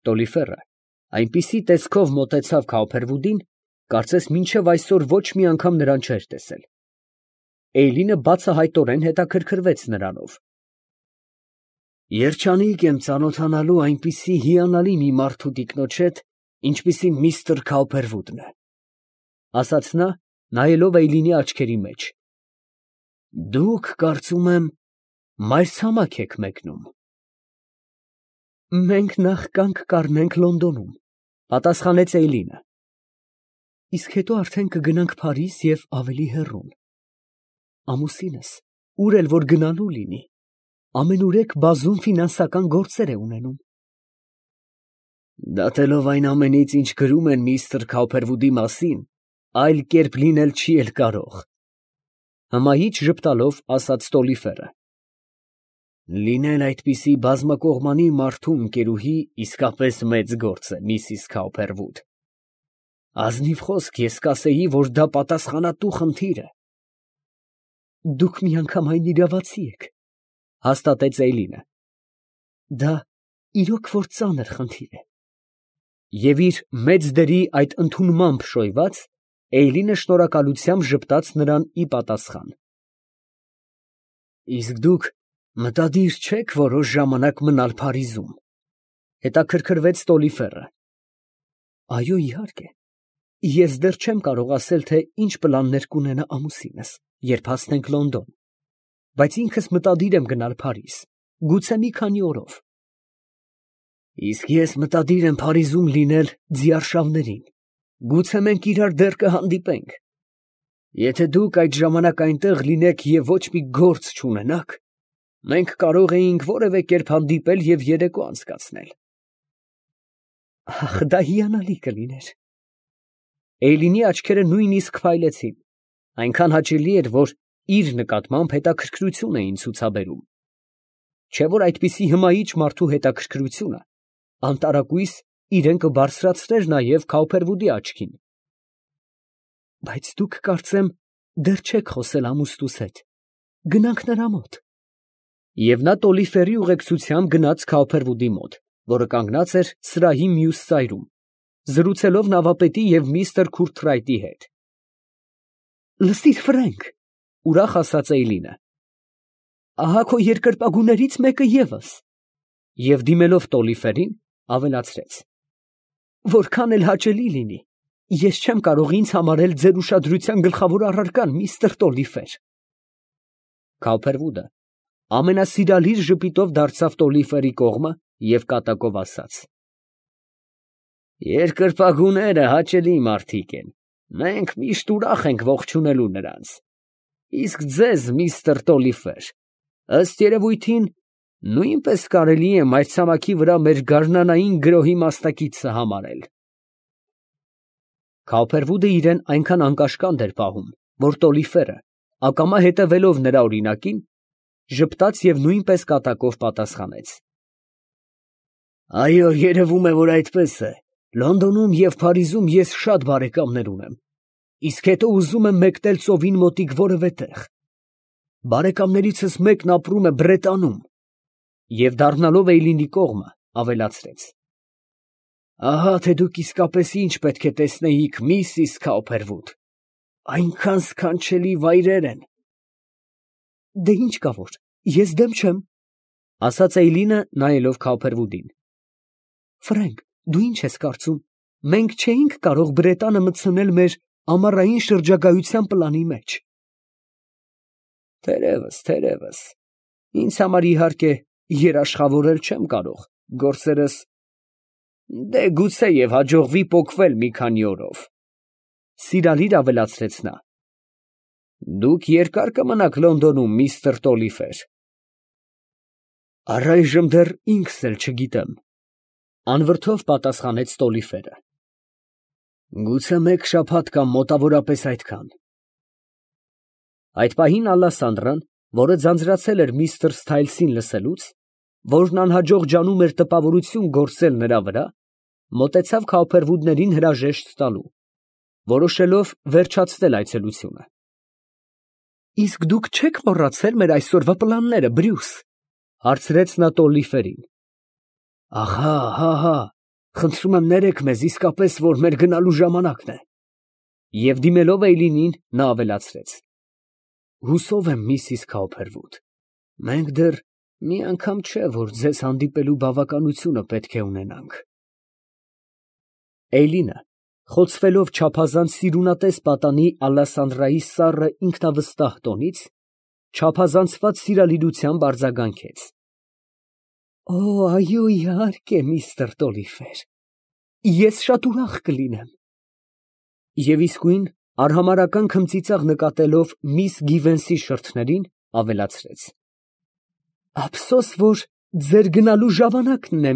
Տոլիֆերը այնպիսի տեսքով մոտեցավ Քաուփերվուդին, կարծես մինչև այսօր ոչ մի անգամ նրան չէր տեսել։ Էյլինը բացահայտորեն հետաքրքրվեց նրանով։ Երջանիկ եմ ծանոթանալու այնպիսի հիանալի մի մարդու տիկնոջ հետ, ինչպիսին միստր Քաուփերվուդն է, ասաց նա, նայելով Էյլինի աչքերի մեջ։ Դուք, կարծում եմ, մայրցամաք եք մեկնում։ Մենք նախ կանգ կառնենք Լոնդոնում, պատասխանեց Էյլինը։ Իսկ հետո արդեն կգնանք Փարիզ և ավելի հեռուն։ Ամուսինս, ուր էլ որ գնալու լինի, ամենուրեք բազում ֆինանսական գործեր է ունենում։ Դատելով այն ամենից, ինչ գրում են միստր Քաուփերվուդի մասին, այլ կերպ լինել չի էլ կարող, հմայիչ ժպտալով ասաց Տոլիֆերը։ Լինել այդպիսի բազմակողմանի մարդու ընկերուհի իսկապես մեծ գործ է, միսիս Քաուփերվուդ։ Ազնիվ խոսք, ես կասեի, որ դա պատասխանատու խնդիր է։ Դուք միանգամայն իրավացի եք, հաստատեց Էյլինը։ Դա իրոք որ ծանր խնդիր է։ Եվ իր մեծ դերի այդ ընդունմամբ շոյված, Էյլինը շնորհակալությամբ ժպտաց նրան ի պատասխան։ Իսկ դուք մտադիր չեք որոշ ժամանակ մնալ Փարիզում, հետաքրքրվեց Տոլիֆերը։ Այո, իհարկե, ես դեռ չեմ կարող ասել, թե ինչ պլաններ կունենա ամուսինս, երբ հասնենք Լոնդոն, բայց ինքս մտադիր եմ գնալ Փարիզ, գուցե մի քանի օրով։ Իսկ ես մտադիր եմ Փարիզում լինել ձիարշավներին, գուցե մենք իրար դեռ կհանդիպենք։ Եթե դուք այդ ժամանակ այնտեղ լինեք և ոչ մի գործ չունենաք, մենք կարող էինք որևէ կերպ հանդիպել և երեկո անցկացնել։ Ախ, դա հիանալի կլիներ։ Էյլինի աչքերը նույնիսկ փայլեցին, այնքան հաճելի էր, որ իր նկատմամբ հետաքրքրություն էին ցուցաբերում։ Չէ՞ որ այդպիսի հմայիչ մարդու հետաքրքրությունը անտարակույս իրեն կբարձրացներ նաև Քաուփերվուդի աչքին։ Բայց դուք, կարծեմ, դեռ չեք խոսել ամուսնուս հետ, գնանք նրա մոտ։ Եվ նա Տոլիֆերի ուղեկցությամբ գնաց Քաուփերվուդի մոտ, որը կանգնած էր սրահի մյուս ծայրում, զրուցելով նավապետի և միստր Քուրթրայտի հետ։ Լսիր, Ֆրենկ, ուրախ ասաց Էյլինը, ահա քո երկրպագուներից մեկը ևս։ Եվ դիմելով Տոլիֆերին, ավելացրեց. Որքան էլ հաճելի լինի, ես չեմ կարող ինձ համարել ձեր ուշադրության գլխավոր առարկան, միստր Տոլիֆեր։ Քաուփերվուդը ամենասիրալիր ժպիտով դարձավ Տոլիֆերի կողմը և կատակով ասաց. Երկրպագուները հաճելի մարդիկ են, մենք միշտ ուրախ ենք ողջունելու նրանց։ Իսկ ձեզ, միստր Տոլիֆեր, ըստ երևույթին, նույնպես կարելի է մայրցամաքի վրա մեր գարնանային գրոհի մասնակիցը համարել։ Քաուփերվուդը իրեն այնքան անկաշկանդ էր պահում, որ Տոլիֆերը, ակամա հետևելով նրա օրինակին, ժպտաց և նույնպես կատակով պատասխանեց. Այո, երևում է, որ այդպես է։ Լոնդոնում և Փարիզում ես շատ բարեկամներ ունեմ, իսկ հետո ուզում եմ մեկնել ծովին մոտիկ որևէ տեղ։ Բարեկամներիցս մեկն ապրում է Բրետանում։ Եվ դառնալով Էյլինի կողմը, ավելացրեց. Ահա թե դուք իսկապես ինչ պետք է տեսնեիք, միսիս Քաուփերվուդ, այնքան սքանչելի վայրեր են։ Դե ինչ կա որ, ես դեմ չեմ, ասաց Էյլինը, նայելով Քաուփերվուդին։ Ֆրենկ, դու ինչ ես կարծում, մենք չէինք կարող Բրետանը մտցնել մեր ամառային շրջագայության պլանի մեջ։ Թերևս, ինձ համար իհարկե երաշխավորել չեմ կարող, գործերս, դե գուցե և հաջողվի պոկվել մի քանի օրով, սիրալիր ավելացրեց նա։ Դուք երկար կմնաք Լոնդոնում, միստր Տոլիֆեր։ Առայժմ դեռ ինքս էլ չգիտեմ, անվրդով պատասխանեց Տոլիֆերը։ Գուցե մեկ շաբաթ կամ մոտավորապես այդքան։ Այդ պահին Ալասանդրան, որը ձանձրացել էր միստր Սթայլսին լսելուց, որն անհաջող ջանում էր տպավորություն գործել նրա վրա, մոտեցավ Քաուփերվուդներին հրաժեշտ տալու, որոշելով վերջացնել այցելությունը։ Իսկ դուք չեք մոռացել մեր այսօրվա պլանները, Բրյուս, հարցրեց նա Տոլիֆերին։ Ահա, հա, Խնդրում եմ ներեք մեզ իսկապես, որ մեր գնալու ժամանակն է։ Եվ դիմելով Էյլինին, նա ավելացրեց. Հուսով եմ, Միսիս Քաուփերվուդ, մենք դեռ մի անգամ չէ, որ ձեզ հանդիպելու բավականությունը պետք է ունենանք։ Էյլինը, խոցվելով չափազանց սիրունատես պատանի Ալասանդրայի սառը ինքնավստահ տոնից, չափազանցված սիրալիրությամբ արձագանքեց. Օ, այո, իհարկե, միստր Տոլիֆեր, ես շատ ուրախ կլինեմ։ Եվ իսկույն արհամարհական քմծիծաղ նկատելով միս Գիվենսի շրթներին, ավելացրեց. Ափսոս, որ ձեր գնալու ժամանակն է,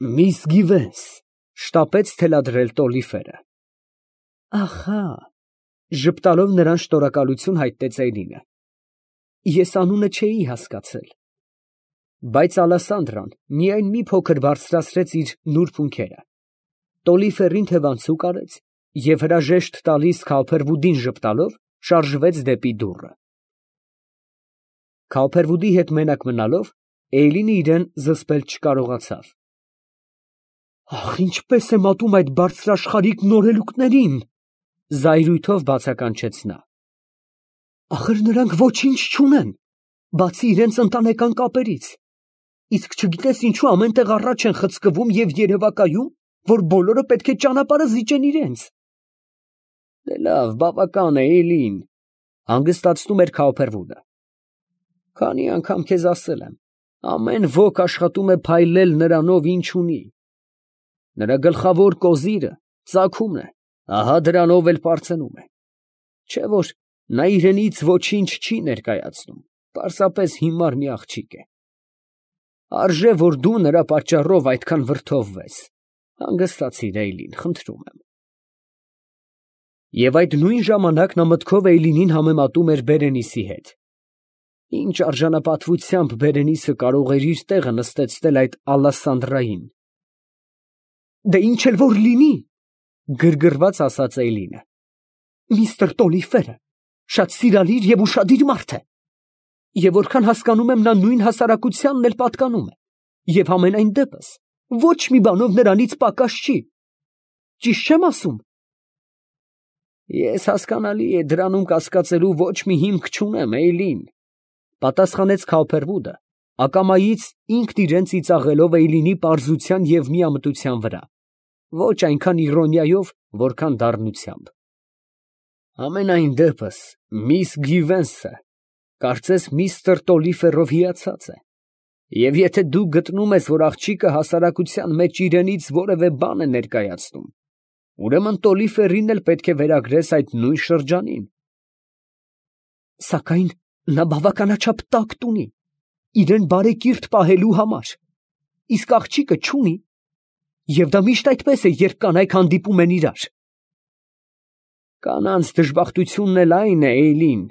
Միս Գիվենս, շտապեց թելադրել Տոլիֆերը։ Ահա, ժպտալով նրան շնորհակալություն հայտնեց Էյլինը։ Ես անունը չէի հասկացել։ Բայց Ալասանդրան միայն մի փոքր բարձրացրեց իր նուրբ ունքերը, Տոլիֆերին թևանցուկ արեց և հրաժեշտ տալիս Քաուփերվուդին ժպտալով շարժվեց դեպի դուռը։ Քաուփերվուդի հետ մենակ մնալով, Էյլինը իրան զսպել չկարողացավ։ Ախ, ինչպես եմ ատում այդ բարձրաշխարհիկ նորելուկներին, զայրույթով բացականչեց նա։ Ախր նրանք ոչինչ չունեն, բացի իրենց ընտանեկան կապերից։ Իսկ չգիտես ինչու ամեն տեղ առաջ են խցկվում և երևակայում, որ բոլորը պետք է ճանապարհը զիջեն իրենց։ Դե լավ, բավական է, Էյլին, հանգստացնում էր Քաուփերվուդը։ Քանի անգամ քեզ ասել եմ, ամեն ոք աշխատում է փայլել նրանով, ինչ ունի։ Նրա գլխավոր կոզիրը ծագումն է, ահա դրանով էլ պարծենում է։ Չէ՞ որ նա իրենից ոչինչ չի ներկայացնում, պարզապես հիմար մի աղջիկ է։ Արժե, որ դու նրա պատճառով այդքան վրդովվես։ Հանգստացիր, Էյլին, խնդրում եմ։ Եվ այդ նույն ժամանակ նա մտքով Էյլինին համեմատում էր Բերենիսի հետ։ Ինչ արժանապատվությամբ Բերենիսը կարող էր իր տեղը նստեցնել այդ Ալասանդրային։ Դե ինչ էլ որ լինի, գրգռված ասաց Էյլինը։ Միստր Տոլիֆերը շատ սիրալիր և ուշադիր մարդ է։ Եվ որքան հասկանում եմ, նա նույն հասարակությանն էլ պատկանում է, և համենայն դեպս ոչ մի բանով նրանից պակաս չի։ Ճիշտ չեմ ասում։ Ես հասկանալի է դրանում կասկածելու ոչ մի հիմք չունեմ, Էյլին, պատասխանեց Քաուփերվուդը, ակամայից ինքն իրեն ծիծաղելով Էյլինի պարզության և միամտության վրա, ոչ այնքան իրոնիայով, որքան դառնությամբ։ Համենայն դեպս, միս Գիվենսը կարծես միստր Տոլիֆերով հիացած է, և եթե դու գտնում ես, որ աղջիկը հասարակության մեջ իրենից որևէ բան է ներկայացնում, ուրեմն Տոլիֆերին էլ պետք է վերագրես այդ նույն շրջանին։ Սակայն նա բավականաչափ տակտ ունի, իրեն բարեկիրթ պահելու համար, իսկ աղջիկը չունի, և դա միշտ այդպես է, երբ կանայք հանդիպում են իրար։ Կանանց դժբախտությունն էլ այն է, Էյլին,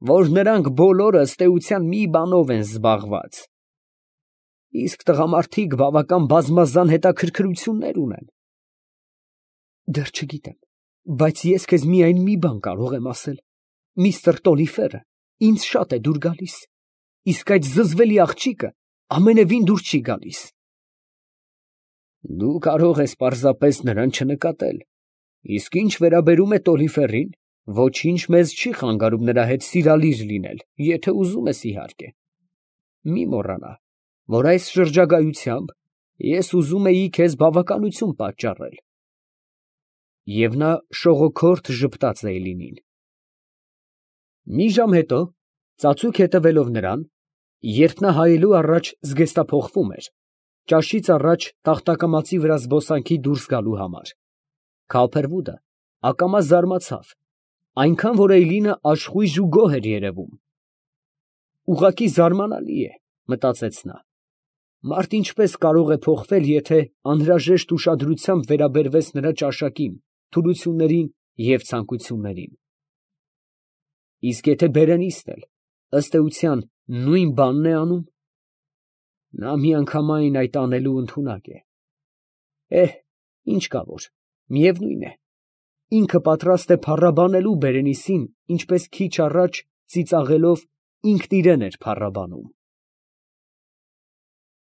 որ նրանք բոլորը ըստ էության մի բանով են զբաղված, իսկ տղամարդիկ բավական բազմազան հետաքրքրություններ ունեն։ Դեռ չգիտեմ, բայց ես քեզ միայն մի բան կարող եմ ասել. միստր Տոլիֆերը ինձ շատ է դուր գալիս, իսկ այդ զզվելի աղջիկը ամենևին դուր չի գալիս։ Դու կարող ես պարզապես նրան չնկատել, իսկ ինչ վերաբերում է Տոլիֆերին, ոչինչ մեզ չի խանգարում նրա հետ սիրալիր լինել, եթե ուզում ես, իհարկե։ Մի մոռանա, որ այս շրջագայությամբ ես ուզում էի քեզ բավականություն պատճառել։ Եվ նա շողոքորթ ժպտաց Էյլինին։ Մի ժամ հետո, ծածուկ հետևելով նրան, երբ նա հայելու առաջ զգեստափոխվում էր, ճաշից առաջ տախտակամածի վրա զբոսանքի դուրս գալու համար, Քաուփերվուդը ակամա զարմացավ, այնքան, որ Էյլինը աշխույժ ու գոհ էր երևում։ Ուղղակի զարմանալի է, մտածեց նա, մարդ ինչպես կարող է փոխվել, եթե անհրաժեշտ ուշադրությամբ վերաբերվես նրա ճաշակին, թուլություններին և ցանկություններին։ Իսկ եթե Բերենիսն էլ, ըստ էության, նույն բանն է անում, նա միանգամայն այդ անելու ընդունակ է։ Ինչ կա որ, միևնույն է, ինքը պատրաստ է փառաբանելու Բերենիսին, ինչպես քիչ առաջ ծիծաղելով ինքն իրան էր փառաբանում։